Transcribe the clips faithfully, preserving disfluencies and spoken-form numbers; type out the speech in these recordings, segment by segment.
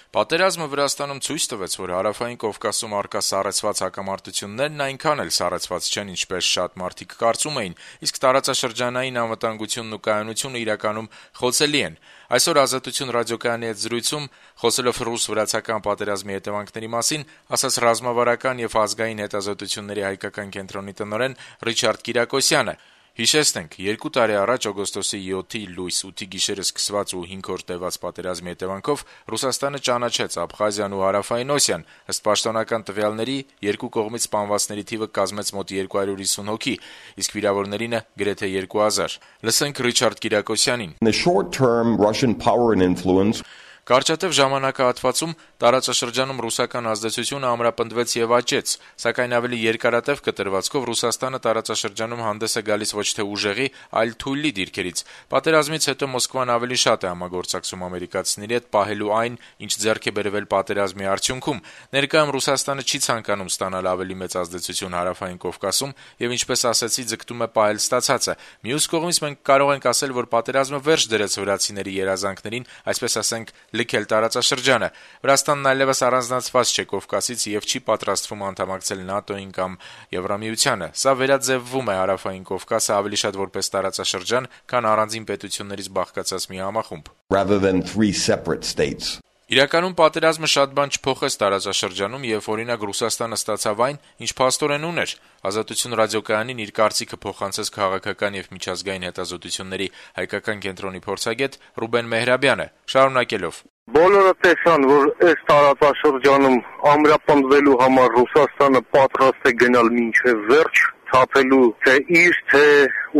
Պատերազմը Վրաստանում ցույց տվեց, որ Հարավային Կովկասում առկա սառեցված հակամարտություններն այնքան էլ սառեցված չեն, ինչպես շատ մարդիկ կարծում էին, իսկ տարածաշրջանային անվտանգությունն ու կայունությունը իրականում խոցելի են։ Այսօր «Ազատություն» ռադիոկայանի հետ զրույցում, խոսելով ռուս-վրացական պատերազմի հետևանքների մասին, ասաց ռազմավարական եւ ազգային հետազոտությունների հայկական կենտրոնի տնօրեն Ռիչարդ Կիրակոսյանը։ Հիշեցնենք, երկու տարի առաջ օգոստոսի յոթի լույս ութի գիշերը սկսված ու հինգ օր տևած պատերազմի հետևանքով Ռուսաստանը ճանաչեց Աբխազիան ու Հարավային Օսիան։ Ըստ պաշտոնական տվյալների, երկու կողմից սպանվածների թիվը կազմեց մոտ երկու հարյուր հիսուն հոգի, իսկ վիրավորներինը գրեթե երկու հազար։ Լսենք Ռիչարդ Կիրակոսյանին։ In the short term, Russian power and influence Կարճատև ժամանակահատվածում տարածաշրջանում ռուսական ազդեցությունը ամրապնդվեց եւ աճեց, սակայն ավելի երկարատև կտրվածքով Ռուսաստանը տարածաշրջանում հանդես է գալիս ոչ թե ուժեղի, այլ թույլի դիրքերից։ Պատերազմից հետո Մոսկվան ավելի շատ է համագործակցում ամերիկացիների հետ, պահելու այն, ինչ ձեռք է բերվել պատերազմի արդյունքում։ Ներկայում Ռուսաստանը չի ցանկանում ստանալ ավելի մեծ ազդեցություն Հարավային Կովկասում եւ, ինչպես ասացի, ձգտում է պահել ստացածը։ Մյուս կողմից մենք կարող ենք ասել, որ պատերազմը վերջ դրեց վրացիների երազանքներին, այսպես ասենք, լքել տարածաշրջանը։ Վրաստանն այլևս առանձնացված չէ Կովկասից եւ չի պատրաստվում անդամակցել ՆԱՏՕ-ին կամ Եվրամիությանը։ Սա վերաձևվում է Հարավային Կովկասը ավելի շատ որպես տարածաշրջան, քան առանձին պետություններից բաղկացած մի համախումբ։ rather than three separate states. Իրականում պատերազմը շատ բան չփոխեց տարածաշրջանում եւ օրինակ Ռուսաստանը ստացավ այն, ինչ փաստորեն ուներ։ Ազատություն ռադիոկայանին իր կարծիքը փոխանցեց քաղաքական եւ միջազգային հետազոտությունների հայկական կենտրոնի փորձագետ Ռուբեն Մեհրաբյանը, շարունակելով. Բոլորը տեսան, որ այս տարածաշրջանում ամրապնդվելու համար Ռուսաստանը պատրաստ է գնալ մինչև վերջ, թափելու թե իր, թե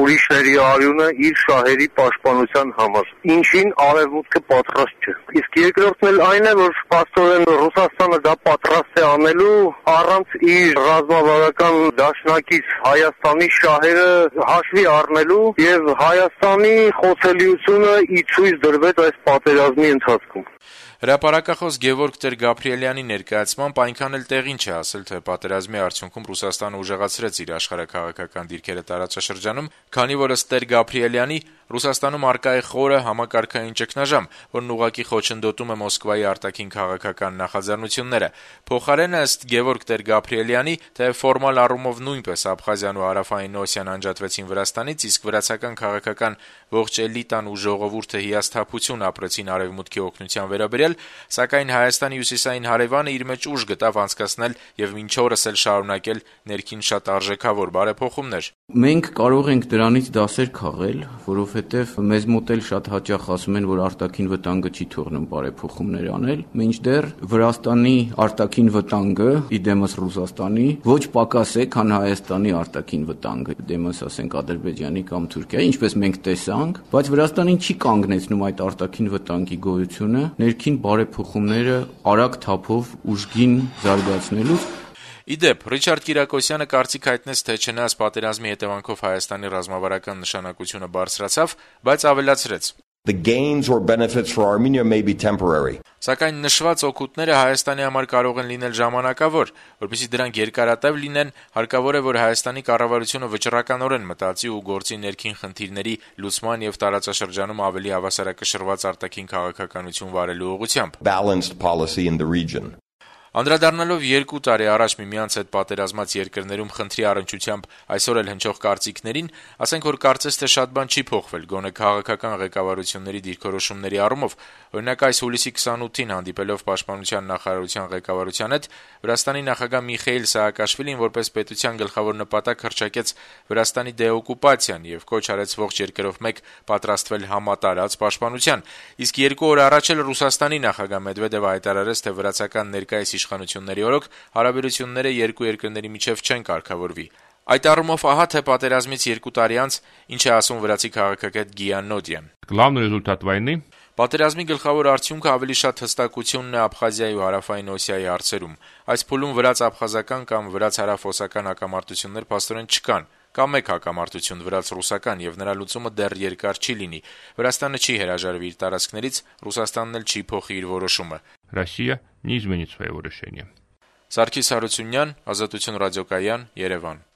ուրիշների արյունը իր շահերի պաշտպանության համար, ինչին արևմուտքը պատրաստ չէ։ Իսկ երկրորդն էլ այն է, որ փաստորեն Ռուսաստանը դա պատրաստ է անելու առանց իր ռազմավարական դաշնակից Հայաստանի շահերը հաշվի առնելու, եւ Հայաստանի խոցելիությունը ի ցույց դրվեց այս պատերազմի ընթացքում։ Հրապարակախոս Գևորգ Տեր-Գաբրիելյանի ներկայացմամբ այնքան էլ տեղին չէ ասել, թե պատերազմի արդյունքում Ռուսաստանը ուժեղացրեց իր աշխարհաքաղաքական դիրքերը տարածաշրջանում, քանի որ ըստ Տեր-Գաբրիելյանի Ռուսաստանում առկա է խորը համակարգային ճգնաժամ, որն ուղղակի խոչընդոտում է Մոսկվայի արտաքին քաղաքական նախաձեռնությունները։ Փոխարենը ըստ Գևորգ Տեր-Գաբրիելյանի, թե ֆորմալ առումով նույնպես Աբխազիան ու Հարավային Օսիան անջատվեցին Վրաստանից, իսկ վրացական քաղաքական ողջ էլիտան ու ժողովուրդը հիասթափություն ապրեցին արևմուտքի օգնության վերաբերյալ, սակայն Հայաստանի հյուսիսային հարևանը իր մեջ ուժ գտավ անցկացնել եւ մինչ օրս էլ շարունակել ներքին շատ արժեքավոր բարեփոխումներ։ Մենք կարող ենք դրանից դասեր քաղել, որովհետև մեզ մոտ էլ շատ հաճախ ասում են, որ արտաքին վտանգը չի թողնում բարեփոխումներ անել, մինչդեռ Վրաստանի արտաքին վտանգը իդեմս Ռուսաստանի ոչ պակաս է, քան Հայաստանի արտաքին վտանգը, դեմս ասենք Ադրբեջանի կամ Թուրքիայի, ինչպես մենք տեսանք, բայց Վրաստանին չի կանգնեցնում այդ արտաքին վտանգի գոյությունը, ներքին բարեփոխումները արագ թափով ուժգին զարգացնելուց։ Իդեպ, Ռիչարդ Կիրակոսյանը կարծիք հայտնեց, թե չնայած պատերազմի հետևանքով Հայաստանի ռազմավարական նշանակությունը բարձրացավ, բայց ավելացրեց. The gains or benefits for Armenia may be temporary. Սակայն նշված օգուտները Հայաստանի համար կարող են լինել ժամանակավոր, որպեսզի դրանք երկարատև լինեն, հարկավոր է, որ Հայաստանի կառավարությունը վճռականորեն մտածի ու գործի ներքին խնդիրների լուծման եւ տարածաշրջանում ավելի հավասարակշռված արտաքին քաղաքականություն վարելու ուղղությամբ։ Balanced policy in the region. Անդրադառնալով երկու տարի առաջ միմյանց հետ պատերազմած երկրներում խնդրի առնչությամբ այսօր էլ հնչող կարծիքներին, ասենք, որ կարծես թե շատ բան չի փոխվել, գոնե քաղաքական ղեկավարությունների դիրքորոշումների առումով։ Օրինակ, այս հուլիսի քսանութին հանդիպելով Պաշտպանության նախարարության ղեկավարության հետ, Վրաստանի նախագահ Միխեիլ Սաակաշվիլին որպես պետության գլխավոր նպատակ հռչակեց Վրաստանի դեօկուպացիան եւ կոչ արեց ողջ երկրով մեկ պատրաստվել համատարած պաշտպանության։ Իսկ երկու օր առաջ էլ Ռուսաստանի նախագահ Մեդվեդևը հայտարարեց, թե վրացական ներկայիս իշխանությունների օրոք հարաբերությունները երկու երկրների միջև չեն կարգավորվի։ Այդ առումով ահա թե պատերազմից երկու տարի անց ինչ է ասում վրացի քաղաքագետ Գիան Նոդյան։ Главный результат войны Պատերազմի գլխավոր արդյունքը ավելի շատ հստակությունն է Աբխազիայի ու Հարավային Օսիայի հարցերում։ Այս փուլում վրաց-աբխազական կամ վրաց-հարավօսական հակամարտություններ փաստորեն չկան։ Կա մեկ հակամարտություն վրաց-ռուսական եւ նրա լուծումը դեռ երկար չի լինի։ Վրաստանը չի հրաժարվի իր տարածքներից, Ռուսաստանն էլ չի փոխի իր որոշումը։ Россия не изменит своего решения. Սարգիս Հարությունյան, Ազատություն ռադիոկայան, Երևան։